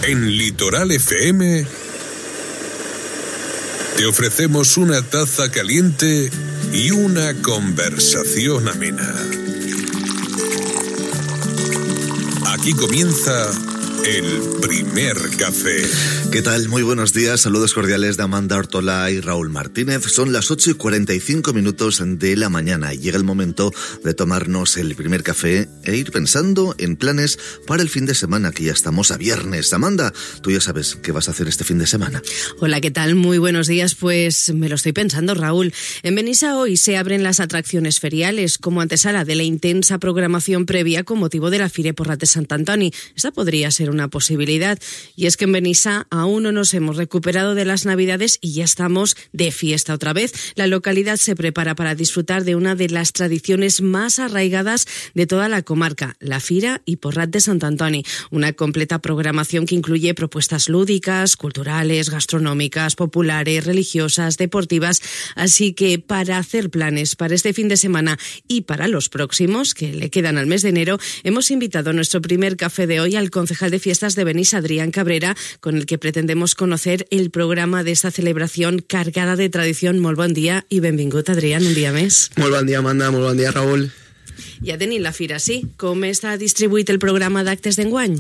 En Litoral FM te ofrecemos una taza caliente y una conversación amena. Aquí comienza el primer café. ¿Qué tal? Muy buenos días, saludos cordiales de Amanda Ortola y Raúl Martínez. Son las 8:45 de la mañana y llega el momento de tomarnos el primer café e ir pensando en planes para el fin de semana, que ya estamos a viernes. Amanda, tú ya sabes qué vas a hacer este fin de semana. Hola, ¿qué tal? Muy buenos días. Pues me lo estoy pensando, Raúl. En Benissa hoy se abren las atracciones feriales como antesala de la intensa programación previa con motivo de la Fira Porrat de Sant Antoni. Esta podría ser una posibilidad, y es que en Benissa aún no nos hemos recuperado de las Navidades y ya estamos de fiesta otra vez. La localidad se prepara para disfrutar de una de las tradiciones más arraigadas de toda la comarca, la Fira Porrat de Sant Antoni, una completa programación que incluye propuestas lúdicas, culturales, gastronómicas, populares, religiosas, deportivas, así que para hacer planes para este fin de semana y para los próximos, que le quedan al mes de enero, hemos invitado a nuestro primer café de hoy al concejal de fiestas de Benissa, Adrián Cabrera, con el que pretendemos conocer el programa de esta celebración cargada de tradición. Molt bon dia i benvingut, Adrián, un dia més. Molt bon dia, Amanda, molt bon dia, Raúl. Ja tenim la fira, sí. Com està distribuït el programa d'actes d'enguany?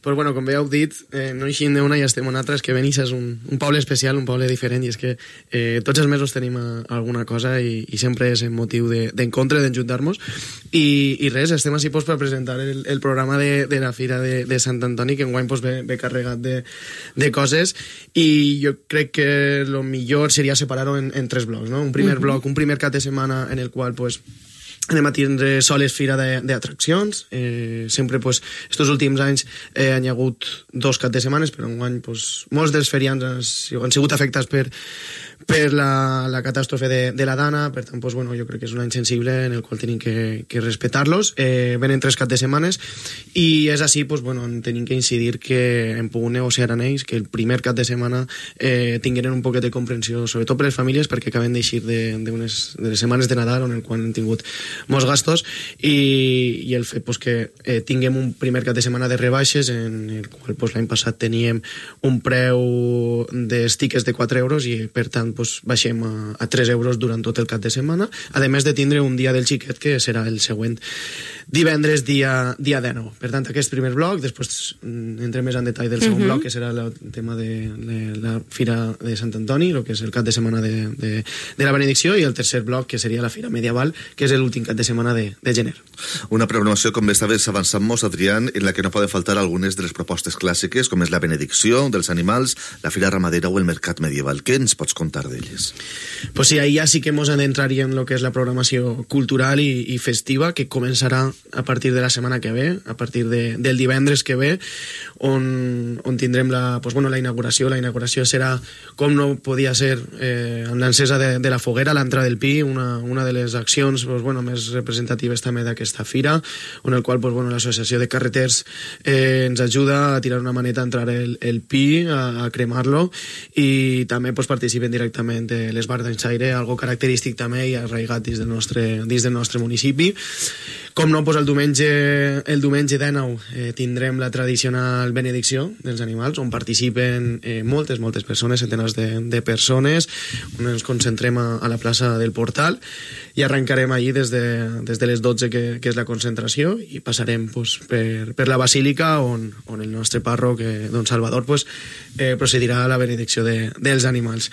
Pues bueno, com bé heu dit, no eixim d'una i estem en altra. És que Benissa és un poble especial, un poble diferent, i és que tots els mesos tenim alguna cosa i sempre és motiu d'encontre, d'enjuntar-nos. I res, estem així per presentar el programa de la Fira de Sant Antoni, que enguany ve carregat de coses, i jo crec que el millor seria separar-ho en tres blocs, no? Un primer bloc, un primer cap de setmana en el qual anem a tindre soles fira d'atraccions. Sempre, estos últims anys han hi hagut 2 caps de setmanes, però enguany molts dels ferians han sigut afectats per la catàstrofe de la Dana. Per tant, jo crec que és un any sensible en el qual tenim que respectar-los. Venen 3 caps de setmanes i és així, tenim que incidir que hem pogut negociar amb ells que el primer cap de setmana tingueren un poquet de comprensió, sobretot per les famílies, perquè acaben d'eixir de les setmanes de Nadal, on el qual hem tingut molts gastos, i el fet que tinguem un primer cap de setmana de rebaixes, en el qual l'any passat teníem un preu dels tickets de 4 euros i per tant baixem a 3 euros durant tot el cap de setmana, a més de tindre un dia del xiquet que serà el següent divendres dia 19. Per tant, aquest primer bloc, després entrem més en detall del segon bloc, que serà el tema de la Fira de Sant Antoni, el que és el cap de setmana de la benedicció, i el tercer bloc, que seria la Fira Medieval, que és l'últim cap de setmana de gener. Una programació, com bé estaves avançant-nos, Adrián, en la que no poden faltar algunes de les propostes clàssiques, com és la benedicció dels animals, la Fira Ramadera o el Mercat Medieval. Què ens pots contar d'elles? Pues sí, ahí ja sí que ens adentraríem en el que és la programació cultural i festiva, que començarà a partir de la setmana que ve, a partir del divendres que ve, on tindrem la inauguració. La inauguració serà, com no podia ser, amb l'encesa de la foguera, l'entrada del Pi, una de les accions més representatives també d'aquesta fira, on el qual l'associació de carreters ens ajuda a tirar una maneta a entrar el Pi, a cremar-lo, i també participen directament les bars d'enxaire, algo característic també i arraigat dins del nostre municipi. Com no, el diumenge 19 tindrem la tradicional benedicció dels animals, on participen moltes persones, centenars de persones, on ens concentrem a la plaça del Portal, i arrencarem allí des de les 12, que és la concentració, i passarem per la Basílica, on el nostre pàrroc, don Salvador, procedirà a la benedicció dels animals.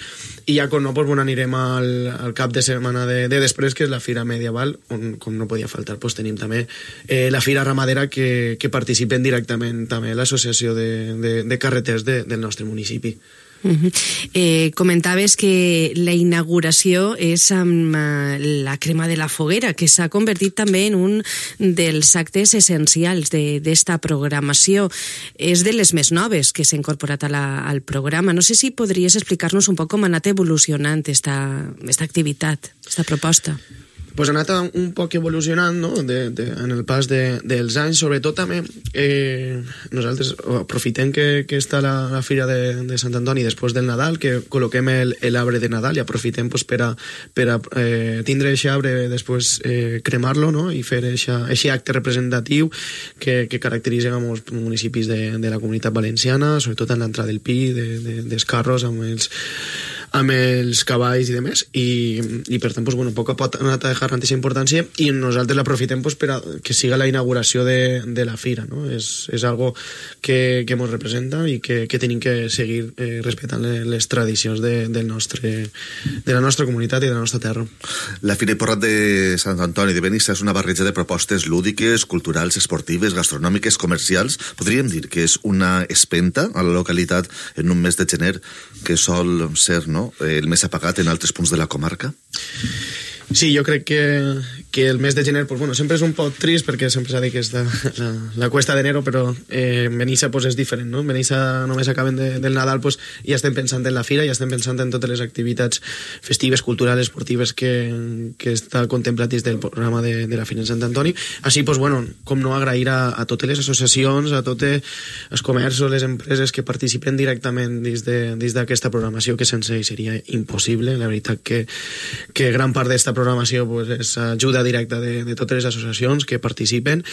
I ja, com no, anirem al cap de setmana de després, que és la Fira Medieval, on, com no podia faltar, tenim també la Fira Ramadera, que participen directament també l'associació de carreters del nostre municipi. Comentaves que la inauguració és amb la crema de la foguera, que s'ha convertit també en un dels actes essencials d'esta programació. És de les més noves que s'ha incorporat al programa. No sé si podries explicar-nos un poc com ha anat evolucionant esta activitat, esta proposta. pues ha anat un poc evolucionant, no? En el pas dels anys. Sobretot també nosaltres aprofitem que està la Fira de Sant Antoni després del Nadal, que col·loquem l'arbre de Nadal i aprofitem pues, per a tindre aquest arbre, després cremar-lo, no? I fer aquest acte representatiu que caracteritza molts municipis de la Comunitat Valenciana, sobretot en l'entrada del Pi, dels carros amb els cavalls i demés, i per tant, pues, bueno, poc a poc ha anat a dejar aquesta importància i nosaltres l'aprofitem pues, per a que siga la inauguració de la fira, no? És algo que ens representa i que tenim que seguir respectant les tradicions de la nostra comunitat i de la nostra terra. La Fira i Porrat de Sant Antoni de Benissa és una barreja de propostes lúdiques, culturals, esportives, gastronòmiques, comercials. Podríem dir que és una espenta a la localitat en un mes de gener que sol ser, no?, el més apagat en altres punts de la comarca? Sí, jo crec que el mes de gener pues, bueno, sempre és un poc trist perquè sempre s'ha dit que és la cuesta d'enero, però en Benissa pues, és diferent, no? En Benissa només acaben del Nadal pues, ja estem pensant en la fira, ja estem pensant en totes les activitats festives, culturals, esportives que està contemplat dins del programa de la Fira de Sant Antoni. Així, pues, bueno, com no agrair a totes les associacions, a tots els comerços, les empreses que participen directament dins d'aquesta programació, que sense ells seria impossible. La veritat que gran part d'esta programació pues, és ajuda directa de totes les associacions que participen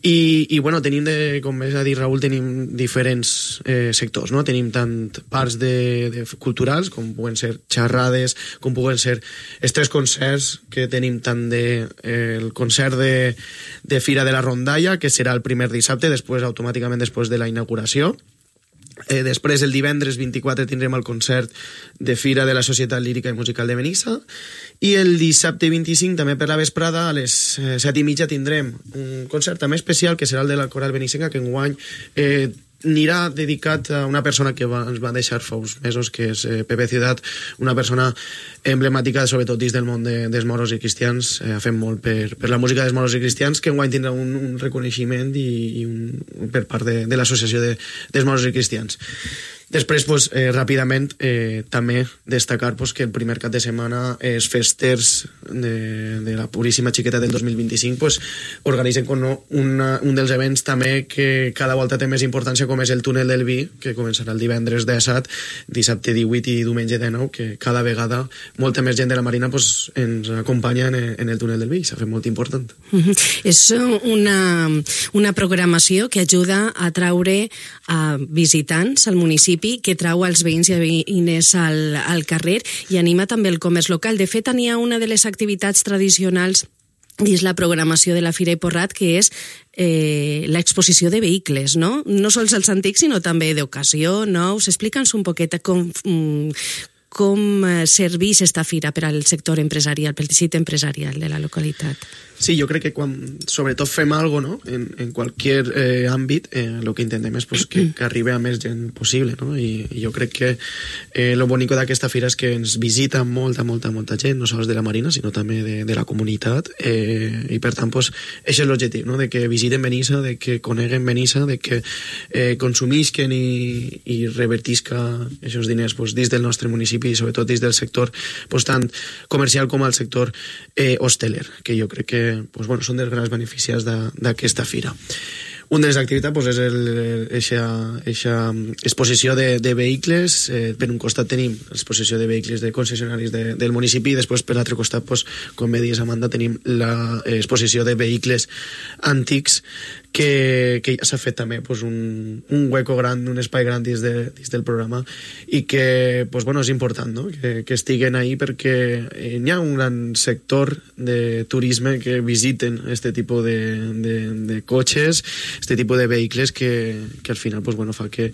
i bueno, tenim, com més ha dit Raül, tenim diferents sectors, no? Tenim tant parts de culturals, com puguen ser xerrades, com puguen ser els 3 concerts que tenim, tant el concert de Fira de la Rondalla, que serà el primer dissabte, automàticament després de la inauguració. Després, el divendres 24, tindrem el concert de Fira de la Societat Lírica i Musical de Benissa, i el dissabte 25, també per la vesprada, a les 7:30, tindrem un concert també especial, que serà el de la Coral Benissenca, que enguany anirà dedicat a una persona que ens va deixar fa uns mesos, que és Pepe Ciutat, una persona emblemàtica, sobretot dins del món dels moros i cristians. Ha fet molt per la música dels moros i cristians, que enguany tindrà un reconeixement per part de l'associació dels moros i cristians. Després, pues, ràpidament, també destacar pues, que el primer cap de setmana els festers de la Puríssima Xiqueta del 2025 pues, organitzen un dels events també que cada volta té més importància, com és el Túnel del Vi, que començarà el divendres 17, dissabte 18 i diumenge 19, que cada vegada molta més gent de la Marina pues, ens acompanya en el Túnel del Vi, s'ha fet molt important. És una programació que ajuda a traure a visitants al municipi, que trau els veïns i veïnes al carrer i anima també el comerç local. De fet, n'hi ha una de les activitats tradicionals dins la programació de la Fira i Porrat, que és l'exposició de vehicles, no? No sols els antics, sinó també d'ocasió, nous. Explica'ns un poquet com serveix esta fira per al sector empresarial, pel teixit empresarial de la localitat. Sí, jo crec que quan sobretot fem alguna cosa, no? en qualsevol àmbit, el que intentem és pues, que arribi a més gent possible, no? I jo crec que lo bonico d'aquesta fira és que ens visita molta gent, no sols de la Marina, sinó també de la comunitat, i per tant, pues, això és l'objectiu, no? De que visiten Benissa, de que coneguen Benissa, de que consumisquen i revertisca aquests diners pues, dins del nostre municipi i sobretot dins del sector pues, tant comercial com al sector hosteler, que jo crec que pues, bueno, són dels grans beneficiats d'aquesta fira. Una de les activitats pues, és aquesta exposició de vehicles. Per un costat tenim l'exposició de vehicles de concessionaris del municipi i després per l'altre costat, pues, com bé dius, Amanda, tenim l'exposició de vehicles antics que ja s'ha fet també pues, un hueco gran, un espai gran dins del programa i que pues, bueno, és important, no? que estiguen ahí perquè hi ha un gran sector de turisme que visiten este tipus de cotxes, este tipus de vehicles que al final pues, bueno, fa que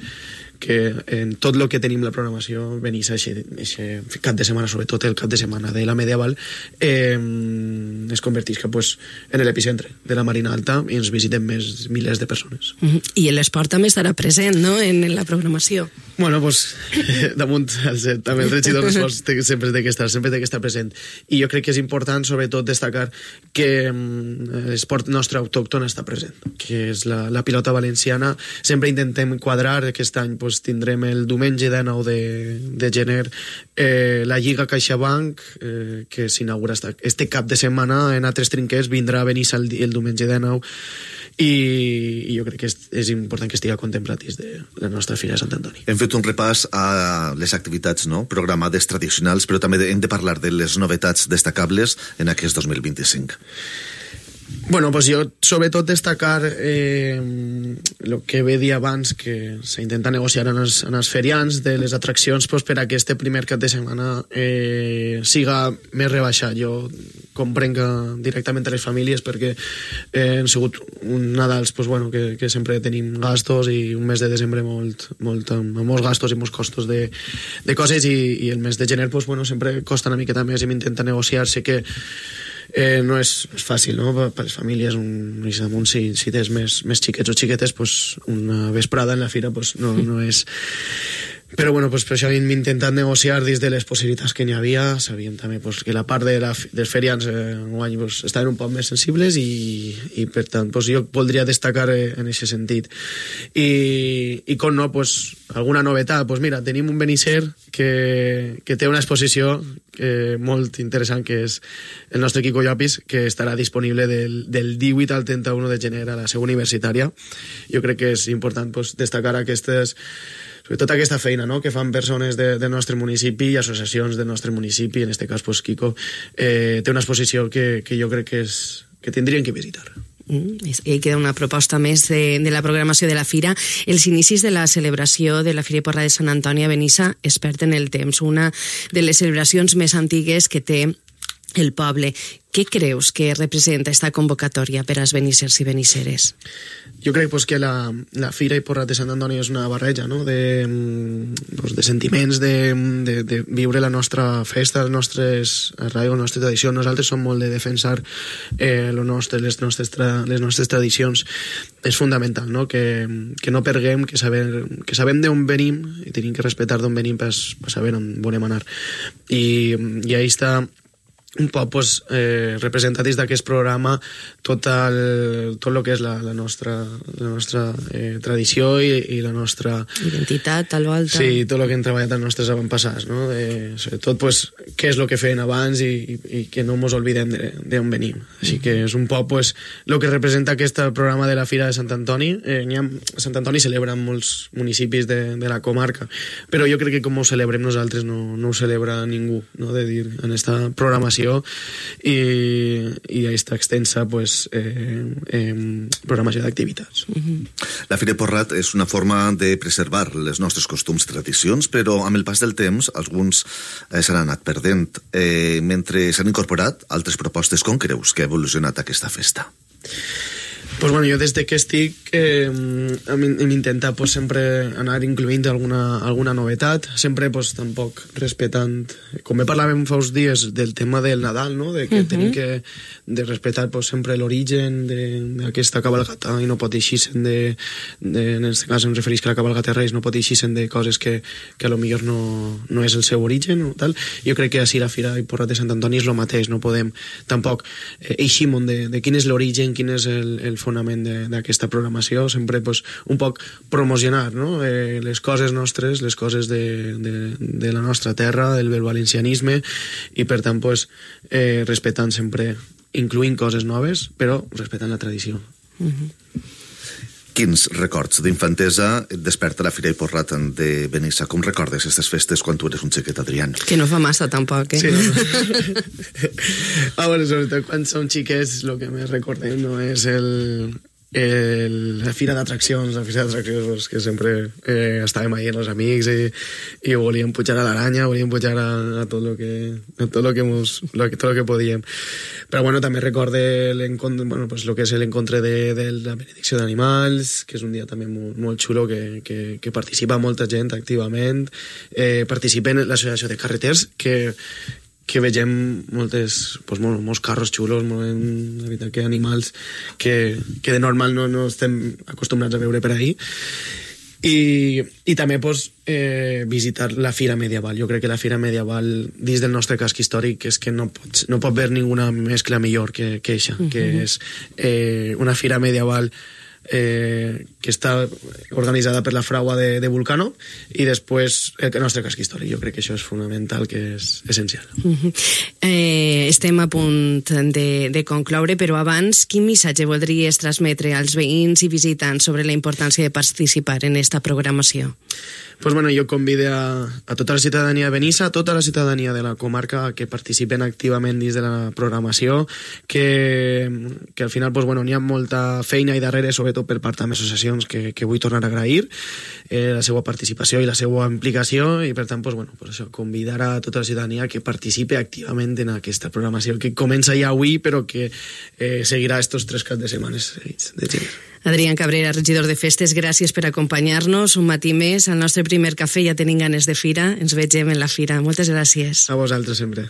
en tot el que tenim la programació Benissa, aquest cap de setmana, sobretot el cap de setmana de la medieval, es convertisca pues, en l'epicentre de la Marina Alta i ens visiten més pues, milers de persones. I l'esport també estarà present, no?, en la programació. Bueno, pues, damunt, també el regidor d'esports sempre té que estar present. I jo crec que és important, sobretot, destacar que l'esport nostre autòcton està present, que és la pilota valenciana. Sempre intentem quadrar, aquest any pues, tindrem el diumenge 19 de gener la Lliga CaixaBank, que s'inaugura este cap de setmana en altres trinquers, vindrà a Benissa el diumenge 19, i jo crec que és important que estigui contemplat dins de la nostra Fira de Sant Antoni. Hem fet un repàs a les activitats, no?, programades tradicionals, però també hem de parlar de les novetats destacables en aquest 2025. Bueno, pues jo sobretot destacar el que ve dir abans, que s'intenta negociar en els ferians de les atraccions pues, per a que este primer cap de setmana siga més rebaixat. Jo comprenc directament a les famílies perquè han sigut un Nadals pues, bueno, que sempre tenim gastos i un mes de desembre amb molts gastos i molts costos de coses i el mes de gener pues, bueno, sempre costa una miqueta més i m'intenta negociar. Sé que no és fàcil, no?, per les famílies, si tens més xiquets o xiquetes, pues, una vesprada en la fira pues, no és... Però bueno, pues, per això hem intentat negociar dins de les possibilitats que n'hi havia. Sabíem també pues, que la part dels ferians enguany pues, estaven un poc més sensibles i per tant pues, jo voldria destacar en aquest sentit. I com no, pues, alguna novetat, pues mira, tenim un Benisser que té una exposició molt interessant, que és el nostre Quico Llopis, que estarà disponible del 18 al 31 de gener a la seu universitària. Jo crec que és important pues, destacar sobretot aquesta feina, no?, que fan persones del nostre municipi i associacions del nostre municipi. En aquest cas, pues, Quico té una exposició que jo crec que tindrien que visitar. I queda una proposta més de la programació de la Fira. Els inicis de la celebració de la Fira i Porra de Sant Antoni a Benissa es perd en el temps, una de les celebracions més antigues que té el poble. Què creus que representa esta convocatòria per als benissers i benisseres? Jo crec pues, que la Fira i Porra de Sant Antoni és una barreja, no?, de sentiments, de viure la nostra festa, les nostres arraigs, la nostra tradició. Nosaltres som molt de defensar les nostres tradicions. És fundamental, no?, que no perguem, que sabem d'on venim i tenim que respectar d'on venim per saber on volem anar. I ahí està un poc pues, representatius d'aquest programa tot el que és la nostra tradició i la nostra identitat, tal volta. Sí, tot el que han treballat els nostres avantpassats, no? Sobretot pues, què és el que feien abans i que no ens oblidem d'on venim. Així que és un poc pues, el que representa aquest programa de la Fira de Sant Antoni. Sant Antoni celebra en molts municipis de la comarca, però jo crec que com ho celebrem nosaltres no ho celebra ningú, no? De dir, en esta programació i aquesta extensa pues, programació d'activitats. La Fira Porrat és una forma de preservar les nostres costums i tradicions, però amb el pas del temps alguns s'han anat perdent. Mentre s'han incorporat altres propostes, com creus que ha evolucionat aquesta festa? Pues bueno, jo des que estic hem intentat pues, sempre anar incloent alguna novetat, sempre pues, tampoc respectant, com parlàvem fa uns dies del tema del Nadal, no? De que tenim que respectar pues, sempre l'origen d'aquesta cabalgata i no pot eixir-se'n en aquest cas em refereix que la cabalgata de Reis no pot eixir-se'n de coses que a lo millor no és el seu origen o tal. Jo crec que així la Fira i Porra de Sant Antoni és el mateix, no podem tampoc eixir-nos de quin és l'origen, quin és el fonament d'aquesta programació, sempre pues, un poc promocionar, no? Les coses nostres, les coses de la nostra terra, del valencianisme, i per tant pues, respectant sempre, incloent coses noves, però respectant la tradició. Quins records d'infantesa et desperta la Fira i Porrat de Benissa? Com recordes aquestes festes quan tu eres un xiquet, Adrián? Que no fa massa, tampoc, Sí, no? Bueno, sobretot quan som xiquets el que més recordem no és la Fira d'Atraccions, pues, que sempre estàvem ahí amb els amics i volíem pujar a l'aranya, volíem pujar a tot lo que podíem. Però bueno, també recorde l'encontre, bueno, pues, lo que és l'encontre de la benedicció d'animals, que és un dia també molt xulo, que participa molta gent activament, participa en l'associació de carreters, que que vegem molts carros xulos, la veritat que animals que de normal no estem acostumbrats a veure per ahí. I també visitar la Fira Medieval. Jo crec que la Fira Medieval dins del nostre casc històric és que no pot haver ninguna mescla millor que eixa, que és una Fira Medieval que està organitzada per la Fragua de Vulcano i després el nostre casc històric. Jo crec que això és fonamental, que és essencial. Estem a punt de concloure, però abans, quin missatge voldries transmetre als veïns i visitants sobre la importància de participar en esta programació? Pues bueno, jo convido a tota la ciutadania de Benissa, a tota la ciutadania de la comarca que participen activament dins de la programació, que al final pues bueno, n'hi ha molta feina i darrere, sobretot per part de les associacions, que vull tornar a agrair la seva participació i la seva implicació, i per tant pues bueno, pues això, convidar a tota la ciutadania que participe activament en aquesta programació que comença ja avui però que seguirà estos 3 caps de setmanes seguits de gener. Adrián Cabrera, regidor de Festes, gràcies per acompanyar-nos un matí més al nostre primer cafè. Ja tenim ganes de fira, ens vegem en la fira. Moltes gràcies. A vosaltres sempre.